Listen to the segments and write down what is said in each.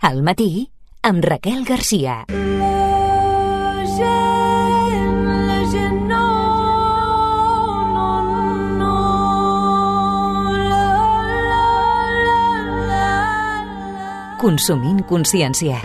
Al matí, amb Raquel Garcia. Consumint consciència.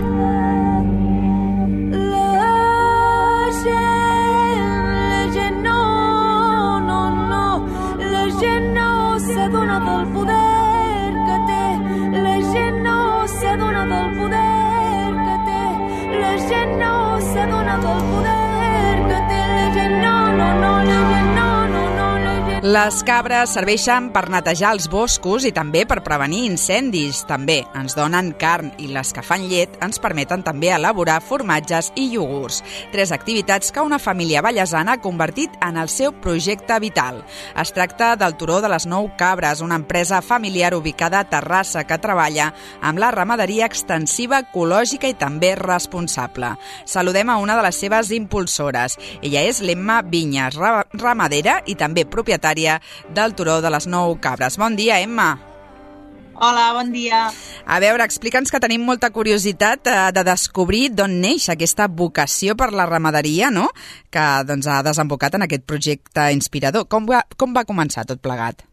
Les cabres serveixen per netejar els boscos i també per prevenir incendis. També ens donen carn i les que fan llet ens permeten també elaborar formatges i iogurts. 3 activitats que una família vallesana ha convertit en el seu projecte vital. Es tracta del Turó de les 9 Cabres, una empresa familiar ubicada a Terrassa que treballa amb la ramaderia extensiva, ecològica i també responsable. Saludem a una de les seves impulsores. Ella és l'Emma Vinyes, ramadera i també propietària del Turó de les 9 Cabres. Bon dia, Emma. Hola, bon dia. A veure, explica'ns, que tenim molta curiositat de descobrir d'on neix aquesta vocació per la ramaderia, no?, que doncs, ha desembocat en aquest projecte inspirador. Com va començar tot plegat?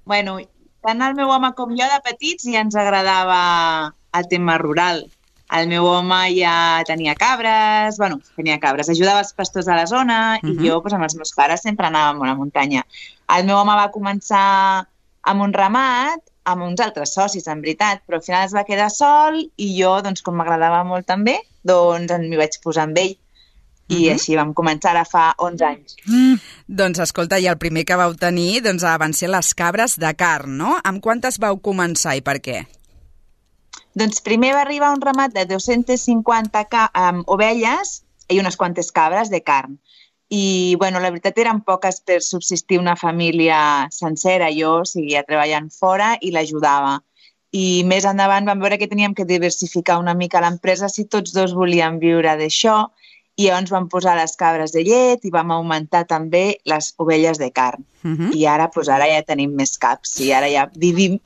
Bueno, tant el meu home com jo de petits ja ens agradava el tema rural. El meu home ja tenia cabres, ajudava els pastors a la zona i jo amb els meus pares sempre anàvem a la muntanya. El meu home va començar amb un ramat, amb uns altres socis, en veritat, però al final es va quedar sol i jo, com m'agradava molt també, m'hi vaig posar amb ell. I així vam començar ara fa 11 anys. Doncs escolta, i el primer que vau tenir van ser les cabres de carn, no? Amb quantes vau començar i per què? Doncs primer va arribar un ramat de 250 ovelles i unes quantes cabres de carn. I, la veritat eren poques per subsistir una família sencera. Jo seguia treballant fora i l'ajudava. I més endavant vam veure que teníem que diversificar una mica l'empresa si tots dos volíem viure d'això. I llavors vam posar les cabres de llet i vam augmentar també les ovelles de carn. I ara ja tenim més caps i ara ja vivim,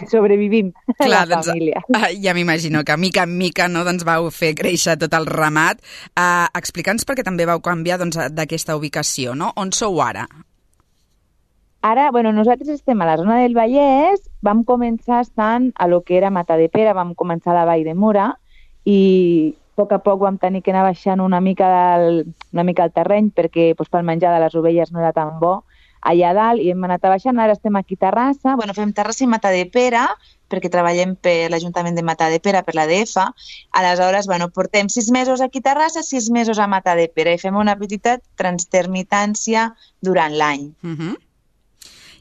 sobrevivim la família. Ja m'imagino que mica en mica vau fer créixer tot el ramat. Explica'ns per què també vau canviar d'aquesta ubicació, no? On sou ara? Ara, nosaltres estem a la zona del Vallès, vam començar estant a lo que era Matadepera, vam començar a la Vall de Mura i a poc vam tenir que anar baixant una mica el terreny perquè pel menjar de les ovelles no era tan bo allà dalt i hem anat baixant. Ara estem aquí a Terrassa. Fem Terrassa i Matadepera perquè treballem per l'Ajuntament de Matadepera, per l'ADF. Aleshores, portem 6 mesos aquí a Terrassa, 6 mesos a Matadepera i fem una petita transtermitància durant l'any.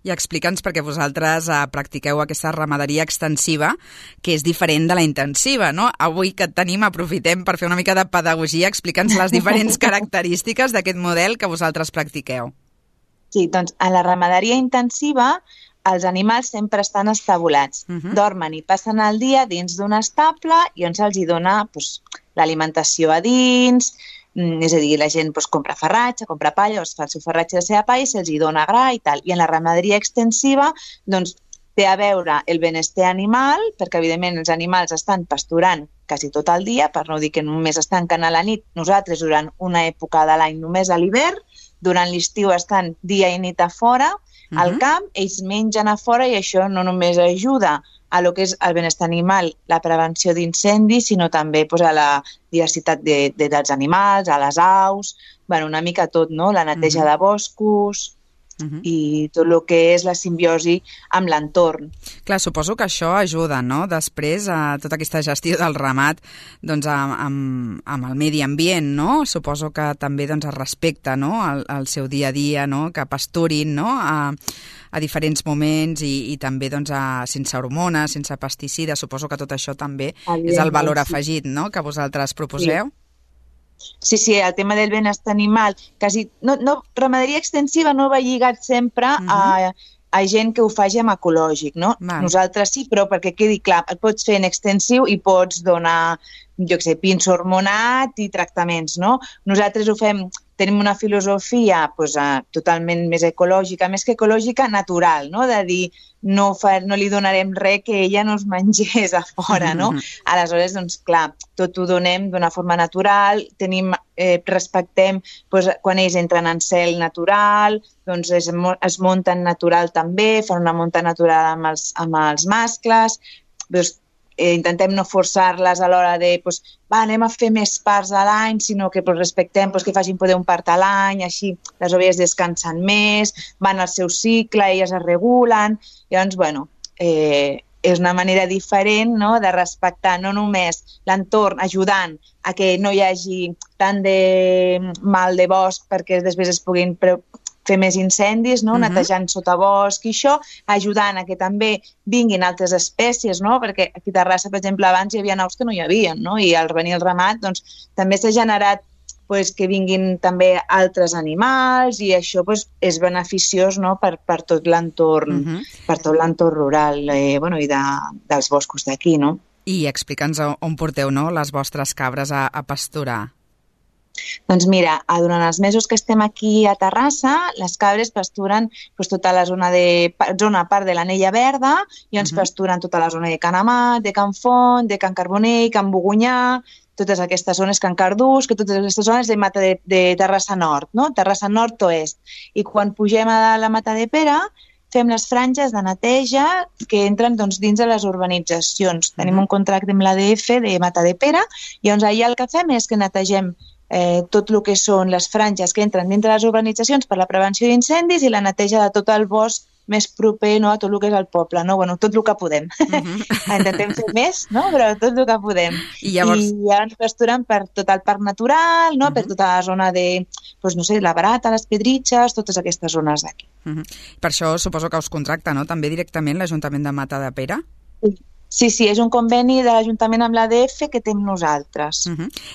I explica'ns, perquè vosaltres practiqueu aquesta ramaderia extensiva, que és diferent de la intensiva, no? Avui que et tenim, aprofitem per fer una mica de pedagogia. Explica'ns les diferents característiques d'aquest model que vosaltres practiqueu. Sí, doncs en la ramaderia intensiva els animals sempre estan estabulats. Dormen i passen el dia dins d'un estable i on se'ls dona l'alimentació a dins. És a dir, la gent compra farratge, compra palla, es fa el seu farratge de seva palla i se'ls dona gra i tal. I en la ramaderia extensiva té a veure el benestar animal, perquè evidentment els animals estan pasturant quasi tot el dia, per no dir que només estan canant a la nit. Nosaltres durant una època de l'any només a l'hivern, durant l'estiu estan dia i nit a fora, al camp, ells mengen a fora i això no només ajuda a lo que és el benestar animal, la prevenció d'incendis, sinó també a la diversitat dels animals, a les aus, una mica tot, no? La neteja de boscos i tot el que és la simbiosi amb l'entorn. Clar, suposo que això ajuda, no?, després a tota aquesta gestió del ramat amb el medi ambient, no? Suposo que també es respecta, no?, el seu dia a dia, no?, que pasturin, no?, a diferents moments i també sense hormones, sense pesticides. Suposo que tot això també és el valor afegit, no?, que vosaltres proposeu. Sí, el tema del benestar animal, ramaderia extensiva no va lligat sempre a gent que ho faci amb ecològic, no? Nosaltres sí, però perquè quedi clar, el pots fer en extensiu i pots donar, pinso hormonat i tractaments, no? Nosaltres ho fem tenim una filosofia totalment més ecològica, més que ecològica, natural, no? De dir, no li donarem res que ella no es mengés a fora, no? Aleshores, doncs, clar, tot ho donem d'una forma natural, respectem quan ells entren en cel natural, doncs es munten natural també, fan una munta natural amb els mascles, doncs intentem no forçar-les a l'hora de anem a fer més parts a l'any, sinó que respectem que facin poder un part a l'any, així les ovelles descansen més, van al seu cicle, elles es regulen. Llavors, és una manera diferent, no?, de respectar no només l'entorn, ajudant a que no hi hagi tant de mal de bosc perquè després es puguin fer més incendis, no? Netejant sotabosc i això, ajudant a que també vinguin altres espècies, no? Perquè aquí a Terrassa, per exemple, abans hi havia aus que no hi havia, no? I al venir el ramat, doncs, també s'ha generat que vinguin també altres animals i això és beneficiós, no?, per tot l'entorn rural i dels boscos d'aquí, no? I explica'ns on porteu, no?, les vostres cabres a pasturar. Doncs mira, durant els mesos que estem aquí a Terrassa, les cabres pasturen tota la part de l'Anella Verda i ens pasturen tota la zona de Can Amat, de Can Font, de Can Carbonell, Can Bogonyà, totes aquestes zones, Can Cardús, que totes aquestes zones de Mata de Terrassa Nord, no? Terrassa Nord-Oest. I quan pugem a la Mata de Pere, fem les franges de neteja que entren dins de les urbanitzacions. Tenim un contracte amb l'ADF de Mata de Pere i llavors allà el que fem és que netegem tot el que són les franges que entren dintre les urbanitzacions per la prevenció d'incendis i la neteja de tot el bosc més proper, no?, a tot el que és el poble, no? Bueno, tot el que podem. Intentem fer més, no?, però tot el que podem. I llavors pasturen per tot el parc natural, no?, per tota la zona de, no sé, la Barata, les Pedritxes, totes aquestes zones d'aquí. Per això suposo que us contracta, no?, també directament l'Ajuntament de Mata de Pere? Sí, és un conveni de l'Ajuntament amb l'ADF que tenim nosaltres.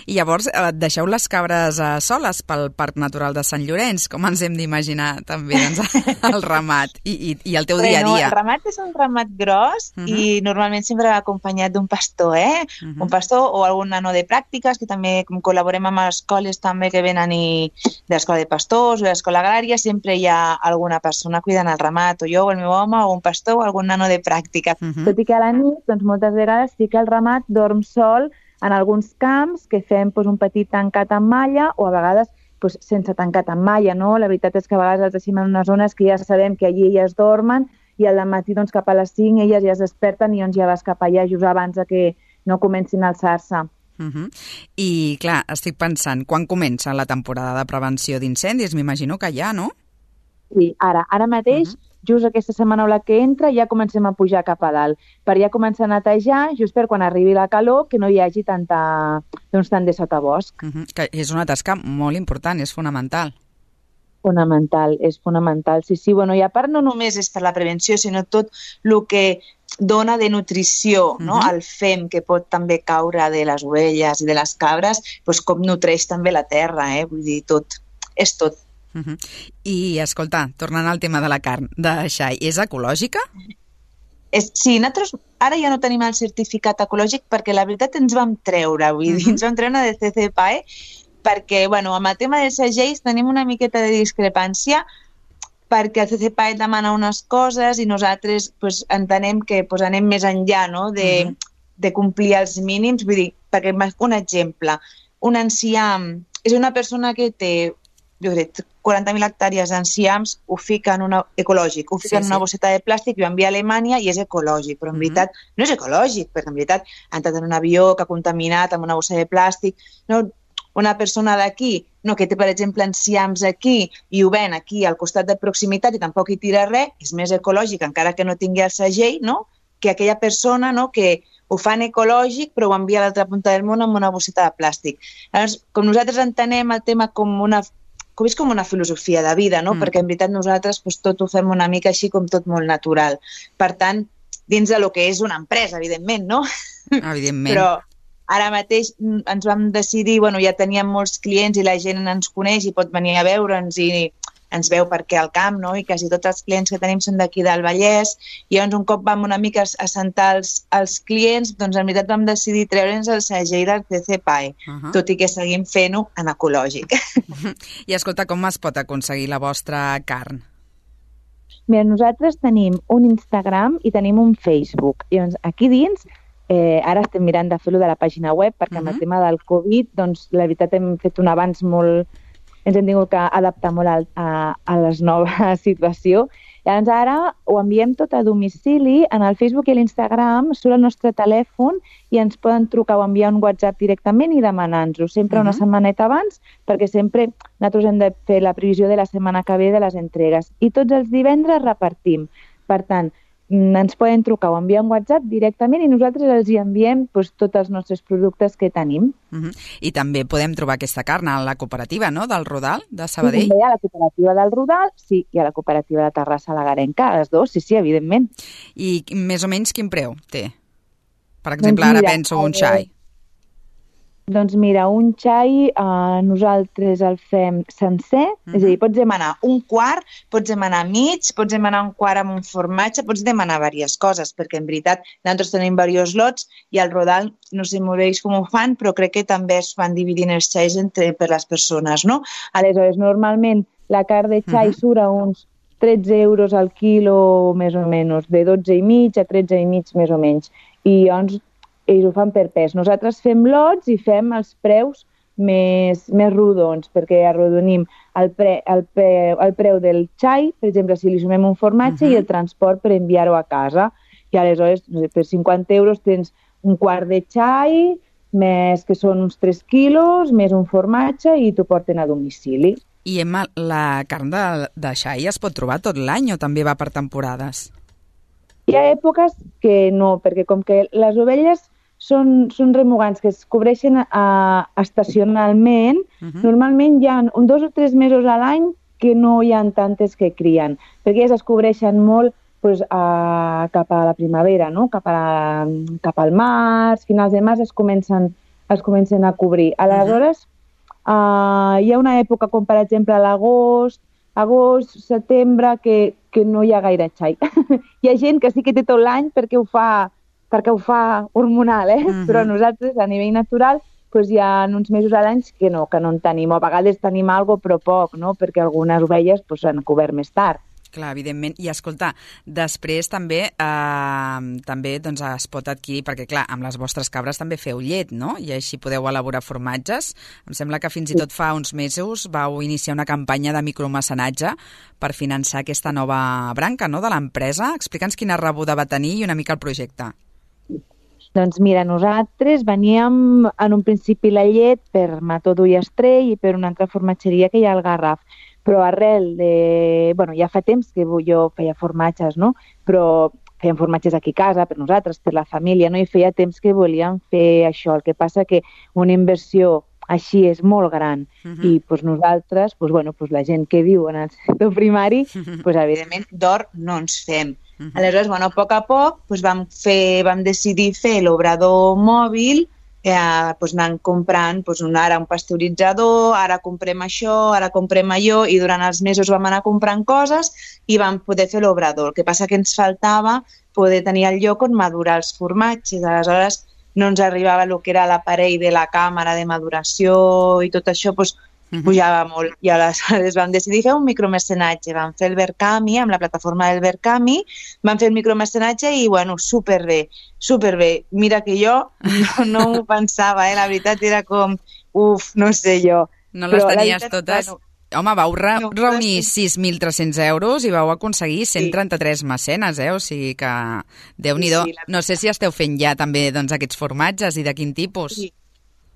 I llavors deixeu les cabres soles pel Parc Natural de Sant Llorenç, com ens hem d'imaginar també el ramat i el teu dia a dia. El ramat és un ramat gros i normalment sempre va acompanyat d'un pastor, un pastor o algun nano de pràctiques, que també col·laborem amb escoles també que venen de l'Escola de Pastors o de l'Escola Agrària, sempre hi ha alguna persona cuidant el ramat, o jo, o el meu home, o un pastor o algun nano de pràctica. Tot i que a la nit doncs moltes vegades sí que el ramat dorm sol en alguns camps que fem un petit tancat amb malla o a vegades sense tancat amb malla, no? La veritat és que a vegades els deixem en unes zones que ja sabem que allí elles dormen i al matí cap a les 5 elles ja es desperten i ja vas cap allà just abans que no comencin a alçar-se. I clar, estic pensant, quan comença la temporada de prevenció d'incendis? M'imagino que ja, no? Sí, ara mateix just aquesta setmana o la que entra ja comencem a pujar cap a dalt, per ja començar a netejar just per quan arribi la calor que no hi hagi tant de sotabosc. Que és una tasca molt important, és fonamental. És fonamental, sí. I a part no només és per la prevenció, sinó tot el que dona de nutrició, no? El fem que pot també caure de les ovelles i de les cabres, com nutreix també la terra, vull dir, tot, és tot. I, escolta, tornant al tema de la carn de xai, és ecològica? Sí, nosaltres ara ja no tenim el certificat ecològic perquè la veritat ens vam treure, ens vam treure de CCPAE perquè, amb el tema dels segells tenim una miqueta de discrepància perquè el CCPAE demana unes coses i nosaltres entenem que anem més enllà, no?, de complir els mínims, vull dir, perquè un exemple, un enciam és una persona que té 40.000 hectàrees d'enciams, ho fiquen ecològic, ho fiquen en una bosseta de plàstic i ho envia a Alemanya i és ecològic, però en veritat no és ecològic, perquè en veritat ha entrat en un avió que ha contaminat amb una bossa de plàstic. Una persona d'aquí, que té, per exemple, enciams aquí i ho ven aquí al costat de proximitat i tampoc hi tira res, és més ecològic, encara que no tingui el segell, que aquella persona que ho fan ecològic però ho envia a l'altra punta del món amb una bosseta de plàstic. Llavors, com nosaltres entenem el tema com és com una filosofia de vida, no? Perquè en veritat nosaltres tot ho fem una mica així com tot molt natural. Per tant, dins de lo que és una empresa, evidentment, no? Evidentment. Però ara mateix ens vam decidir, ja teníem molts clients i la gent ens coneix i pot venir a veure'ns i ens veu perquè al camp, no? I quasi tots els clients que tenim són d'aquí del Vallès, i llavors un cop vam una mica a sentar els clients, doncs en veritat vam decidir treure'ns el segell del CCPAE, tot i que seguim fent-ho en ecològic. I escolta, com es pot aconseguir la vostra carn? Mira, nosaltres tenim un Instagram i tenim un Facebook. Llavors, aquí dins, ara estem mirant de fer-ho de la pàgina web, perquè amb el tema del Covid, doncs, la veritat, hem fet un avanç molt... Ens hem tingut que adaptar molt a la nova situació. Llavors, ara ho enviem tot a domicili. En el Facebook i l'Instagram surt el nostre telèfon i ens poden trucar o enviar un WhatsApp directament i demanar-nos-ho, sempre una setmaneta abans, perquè sempre nosaltres hem de fer la previsió de la setmana que ve de les entregues. I tots els divendres repartim. Per tant, ens poden trucar o enviar un WhatsApp directament i nosaltres els hi enviem tots els nostres productes que tenim. I també podem trobar aquesta carn a la cooperativa, no?, del Rodal, de Sabadell? Sí, també a la cooperativa del Rodal, sí, i a la cooperativa de Terrassa la Garenca, les dues, sí, evidentment. I més o menys quin preu té? Per exemple, ara penso un xai. Doncs mira, un xai nosaltres el fem sencer, és a dir, pots demanar un quart, pots demanar mig, pots demanar un quart amb un formatge, pots demanar diverses coses, perquè en veritat nosaltres tenim diversos lots i al Rodal, no sé molt bé com ho fan, però crec que també es van dividint els xais per les persones, no? Aleshores, normalment la carn de xai surt a uns 13 euros al quilo, més o menys, de 12 i mig a 13 i mig, més o menys. I llavors, ells ho fan per pes. Nosaltres fem lots i fem els preus més rodons, perquè arrodonim el preu del xai, per exemple, si li sumem un formatge i el transport per enviar-ho a casa. I aleshores, no sé, per 50 euros tens un quart de xai, més que són uns 3 quilos, més un formatge i t'ho porten a domicili. I Emma, la carn de xai es pot trobar tot l'any o també va per temporades? Hi ha èpoques que no, perquè com que les ovelles són remugants que es cobreixen estacionalment, normalment hi ha 2 o 3 mesos a l'any que no hi ha tantes que crien, perquè elles es cobreixen molt cap a la primavera, no? Cap al març, finals de març es comencen a cobrir. Aleshores, hi ha una època com per exemple l'agost, setembre, que no hi ha gaire xai. Hi ha gent que sí que té tot l'any perquè ho fa hormonal, però nosaltres a nivell natural hi ha uns mesos a l'any que no en tenim, o a vegades tenim alguna cosa però poc, no? Perquè algunes ovelles s'han cobert més tard. Clar, evidentment. I escolta, després també doncs, es pot adquirir, perquè clar, amb les vostres cabres també feu llet, no? I així podeu elaborar formatges. Em sembla que fins i tot fa uns mesos vau iniciar una campanya de micromecenatge per finançar aquesta nova branca, no?, de l'empresa. Explica'ns quina rebuda va tenir i una mica el projecte. Doncs mira, nosaltres veníem en un principi la llet per Mató d'Ull Estrell i per una altra formatgeria que hi ha al Garraf, però arrel de... ja fa temps que jo feia formatges, no? Però fèiem formatges aquí a casa, per nosaltres, per la família, no? I feia temps que volíem fer això. El que passa que una inversió així és molt gran i nosaltres, la gent que viu en el sector primari, evidentment d'or no ens fem. Aleshores, a poc vam decidir fer l'obrador mòbil, anant comprant ara un pasteuritzador, ara comprem això, ara comprem allò, i durant els mesos vam anar comprant coses i vam poder fer l'obrador. El que passa que ens faltava poder tenir el lloc on madurar els formatges. Aleshores, no ens arribava el que era l'aparell de la càmera de maduració i tot això, pujava molt. I aleshores vam decidir fer un micromecenatge. Vam fer el Verkami, amb la plataforma del Verkami, vam fer el micromecenatge i, superbé. Mira que jo no m'ho pensava, la veritat era com, no sé jo. No les tenies totes? Home, vau reunir 6.300 euros i vau aconseguir 133 mecenes, o sigui que Déu-n'hi-do. No sé si esteu fent ja també aquests formatges i de quin tipus. Sí.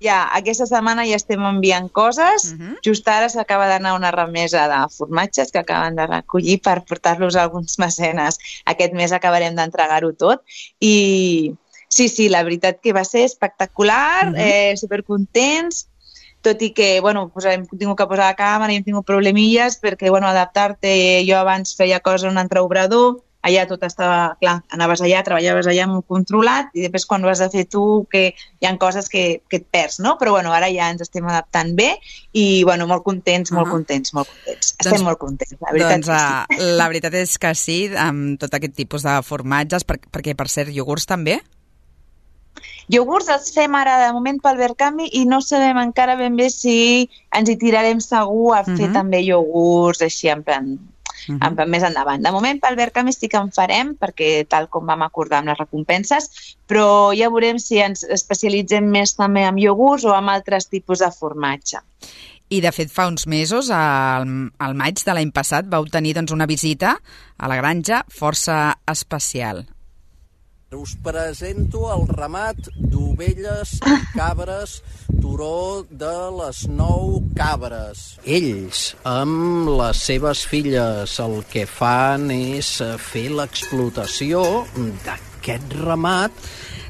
Ja, aquesta setmana ja estem enviant coses. Just ara s'acaba d'anar una remesa de formatges que acaben de recollir per portar-los a alguns mecenes. Aquest mes acabarem d'entregar-ho tot. I sí, la veritat que va ser espectacular, supercontents, tot i que, hem tingut que posar la càmera i hem tingut problemilles perquè, adaptar-te, jo abans feia coses en un altre obrador, allà tot estava, clar, anaves allà, treballaves allà molt controlat i després quan ho has de fer tu, que hi ha coses que et perds, no? Però bueno, ara ja ens estem adaptant bé i bueno, molt contents. Estem molt contents, la veritat que sí. La veritat és que sí, amb tot aquest tipus de formatges, perquè per cert, iogurts també? Iogurts els fem ara de moment pel Verkami i no sabem encara ben bé si ens hi tirarem segur a fer també iogurts així en plan més endavant. De moment pel Verkami sí que en farem perquè tal com vam acordar amb les recompenses, però ja veurem si ens especialitzem més també en iogurts o en altres tipus de formatge. I, de fet, fa uns mesos, al maig de l'any passat, vau tenir doncs, una visita a la granja força especial. Us presento el ramat d'ovelles i cabres turó de les 9 cabres. Ells, amb les seves filles, el que fan és fer l'explotació d'aquest ramat.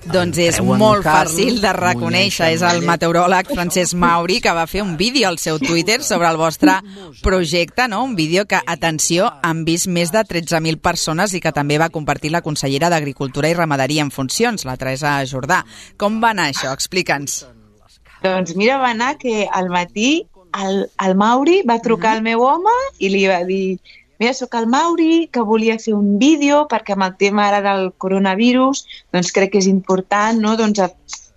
Doncs és molt fàcil de reconèixer. És el meteoròleg Francesc Mauri que va fer un vídeo al seu Twitter sobre el vostre projecte, no? Un vídeo que, atenció, han vist més de 13.000 persones i que també va compartir la consellera d'Agricultura i Ramaderia en funcions, la Teresa Jordà. Com va anar això? Explica'ns. Doncs mira, va anar que al matí el Mauri va trucar al meu home i li va dir: mira, sóc el Mauri, que volia fer un vídeo perquè amb el tema ara del coronavirus doncs crec que és important, no? Doncs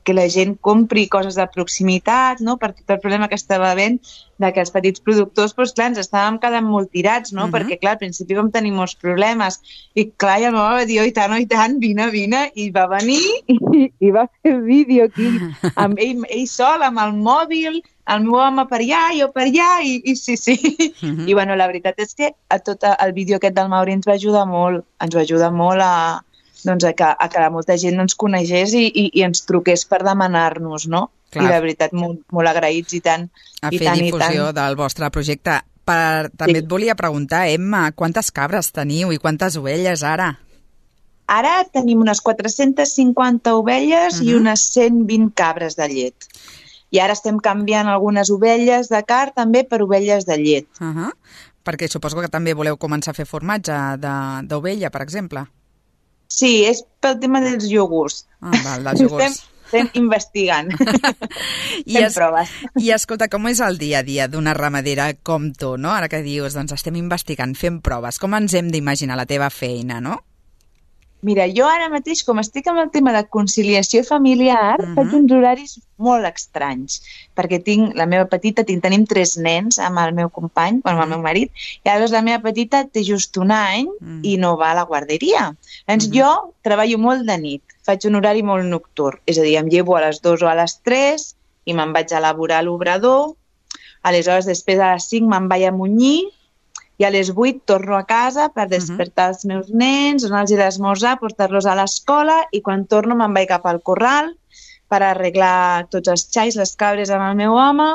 que la gent compri coses de proximitat, no? Per tot el problema que estava havent de que els petits productors, doncs clar, ens estàvem quedant molt tirats, no? Perquè clar, al principi vam tenir molts problemes i clar, i el meu home va dir: oh, i tant, vine, i va venir i va fer el vídeo aquí amb ell sol, amb el mòbil, el meu home per allà, jo per allà, i sí. I bueno, la veritat és que tot el vídeo aquest del Mauri ens va ajudar molt a que molta gent ens coneixés i ens truqués per demanar-nos, no? Clar. I la veritat, molt agraïts i tant. A fer difusió del vostre projecte. També et volia preguntar, Emma, quantes cabres teniu i quantes ovelles ara? Ara tenim unes 450 ovelles i unes 120 cabres de llet. I ara estem canviant algunes ovelles de carn també per ovelles de llet. Perquè suposo que també voleu començar a fer formatge d'ovella, per exemple. Sí, és pel tema dels iogurts. Val, dels iogurts. Estem investigant. Fem proves. I escolta, com és el dia a dia d'una ramadera com tu, no? Ara que dius, doncs estem investigant, fem proves. Com ens hem d'imaginar la teva feina, no? Mira, jo ara mateix, com estic amb el tema de conciliació familiar, faig uns horaris molt estranys, perquè tinc la meva petita, tenim 3 nens amb el meu company, amb el meu marit, i llavors la meva petita té just un any i no va a la guarderia. Doncs jo treballo molt de nit, faig un horari molt nocturn, és a dir, em llevo a les 2 o a les 3 i me'n vaig a elaborar a l'obrador, aleshores després a les 5 me'n vaig a munyir, i a les 8 torno a casa per despertar els meus nens, donar-los d'esmorzar, portar-los a l'escola i quan torno me'n vaig cap al corral per arreglar tots els xais, les cabres amb el meu home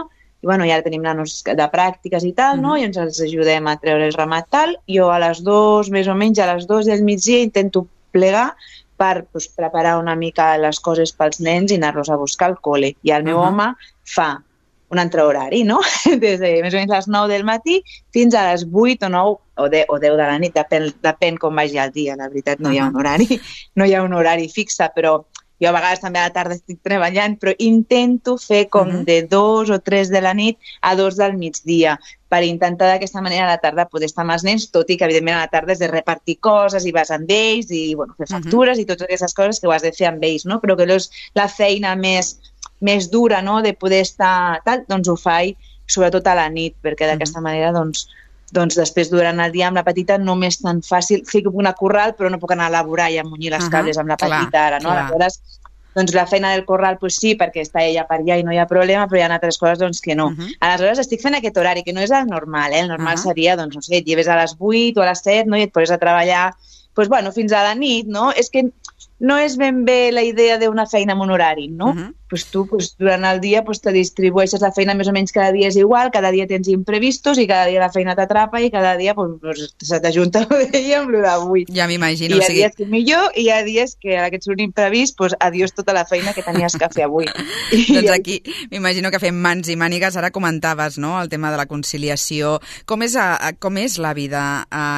i bueno, ja tenim nanos de pràctiques i tal, no? I ens els ajudem a treure el ramat tal. Jo a les 2, més o menys a les 2 del migdia intento plegar per preparar una mica les coses pels nens i anar-los a buscar al col·le. I el meu home fa un altre horari, no? Des de més o menys les 9 del matí fins a les 8 o 9 o 10 de la nit, depèn com vagi el dia, la veritat, no hi ha un horari fixe, però jo a vegades també a la tarda estic treballant, però intento fer com de 2 o 3 de la nit a 2 del migdia, per intentar d'aquesta manera a la tarda poder estar amb els nens, tot i que evidentment a la tarda és de repartir coses i vas amb ells i bueno, fer factures i totes aquestes coses que ho has de fer amb ells, no? Però que és la feina més dura, no?, de poder estar tal, doncs ho faig sobretot a la nit, perquè d'aquesta manera doncs després durant el dia amb la petita no m'és tan fàcil, sí que puc anar a corral però no puc anar a elaborar i a munyir les cables amb la petita ara, no? Aleshores, doncs la feina del corral pues sí, perquè està ella per allà i no hi ha problema, però hi ha altres coses doncs que no. Aleshores estic fent aquest horari, que no és el normal, el normal seria, doncs no sé, et lleves a les 8 o a les 7, no?, i et poses a treballar, doncs bueno, fins a la nit, no? És que no és ben bé la idea d'una feina amb un horari, no? Pues tu durant el dia te distribueixes la feina més o menys cada dia és igual, cada dia tens imprevistos i cada dia la feina t'atrapa i cada dia se t'ajunta el d'ahir amb el d'avui. Ja m'imagino. I hi ha dies que millor i hi ha dies que ara que ets un imprevist, adiós tota la feina que tenies que fer avui. Doncs aquí m'imagino que fem mans i mànigues. Ara comentaves, no?, el tema de la conciliació. Com és la vida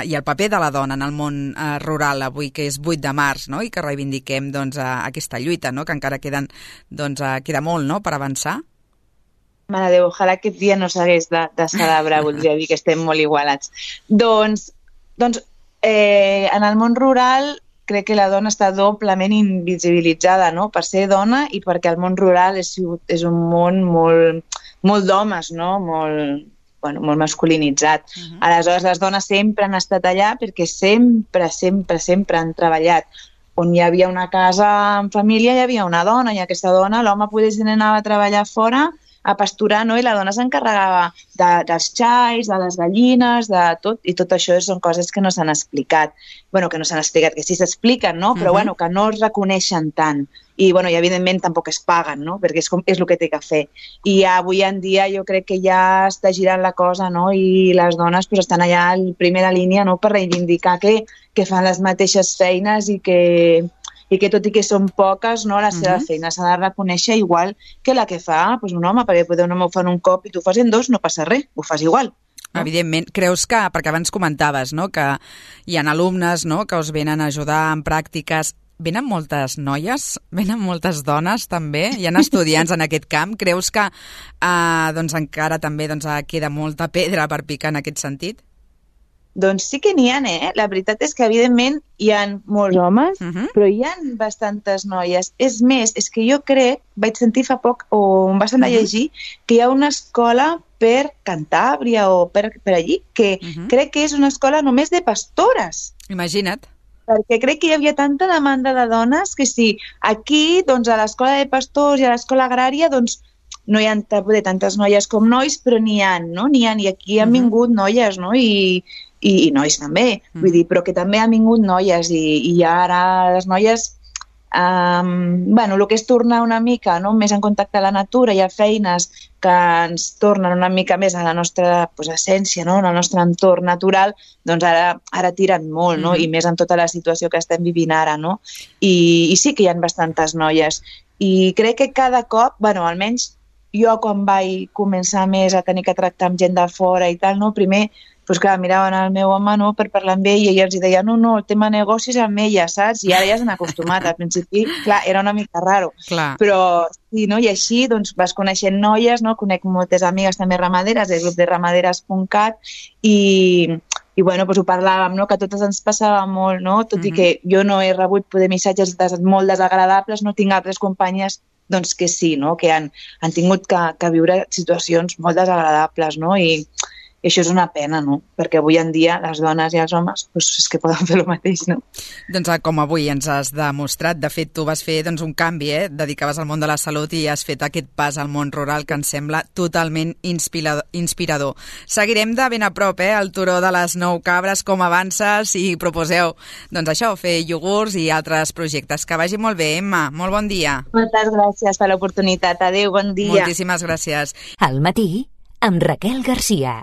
i el paper de la dona en el món rural avui, que és 8 de març, no?, i que reivindiquem aquesta lluita, no?, que encara queda molt, no?, per avançar? Mare de Déu, ojalà aquest dia no s'hagués de celebrar, voldria dir que estem molt igualats. Doncs en el món rural crec que la dona està doblement invisibilitzada, no?, per ser dona i perquè el món rural és un món molt d'homes, no?, molt masculinitzat. Aleshores, les dones sempre han estat allà perquè sempre han treballat. On hi havia una casa en família hi havia una dona i aquesta dona, l'home potser anava a treballar fora a pasturar, no? I la dona s'encarregava dels xais, de les gallines, de tot, i tot això són coses que no s'han explicat. Que no s'han explicat, que sí s'expliquen, no? Però que no es reconeixen tant. I evidentment tampoc es paguen, no? Perquè és el que té que fer. I avui en dia jo crec que ja està girant la cosa, no? I les dones estan allà en primera línia, no?, per reivindicar que fan les mateixes feines i que tot i que són poques, no, la seva feina s'ha de reconèixer igual que la que fa un home, perquè un home ho fa en un cop i tu ho fas en 2, no passa res, ho fas igual. No? Evidentment. Creus que, perquè abans comentaves, no?, que hi ha alumnes, no?, que us venen a ajudar en pràctiques. Venen moltes noies? Venen moltes dones, també? Hi ha estudiants en aquest camp? Creus que encara també queda molta pedra per picar en aquest sentit? Doncs sí que n'hi ha, La veritat és que, evidentment, hi ha molts homes, però hi ha bastantes noies. És més, és que jo crec, vaig sentir fa poc, o em va semblar llegir, que hi ha una escola per Cantàbria o per allí, que crec que és una escola només de pastores. Imagina't. Perquè crec que hi havia tanta demanda de dones que sí, aquí, a l'escola de pastors i a l'escola agrària, no hi ha tantes noies com nois, però n'hi ha, no? N'hi ha, i aquí han vingut noies, no? I nois també, vull dir, però que també han vingut noies i ara les noies, el que és tornar una mica, no?, més en contacte amb la natura, hi ha feines que ens tornen una mica més a la nostra essència, no?, en el nostre entorn natural, doncs ara tiren molt, no?, i més en tota la situació que estem vivint ara, no? I sí que hi ha bastantes noies. I crec que cada cop, almenys jo quan vaig començar més a tenir que tractar amb gent de fora i tal, no?, primer miraven el meu home, no?, per parlar amb ell i ella els deia, no, el tema negocis amb ella, saps? I ara ja s'han acostumat. Al principi, clar, era una mica raro. Clar. Però sí, no? I així vas coneixent noies, no? Conec moltes amigues també ramaderes, del grup de ramaderes.cat i ho parlàvem, no?, que a totes ens passava molt, no? Tot i que jo no he rebut missatges molt desagradables, no tinc altres companyes que sí, no?, que han tingut que viure situacions molt desagradables, no? I això és una pena, no? Perquè avui en dia les dones i els homes és que poden fer el mateix, no? Doncs com avui ens has demostrat. De fet, tu vas fer un canvi, dedicaves al món de la salut i has fet aquest pas al món rural que ens sembla totalment inspirador. Seguirem de ben a prop el turó de les 9 cabres, com avances i proposeu, fer iogurts i altres projectes. Que vagi molt bé, Emma. Molt bon dia. Moltes gràcies per l'oportunitat. Adéu, bon dia. Moltíssimes gràcies. Al matí, amb Raquel Garcia.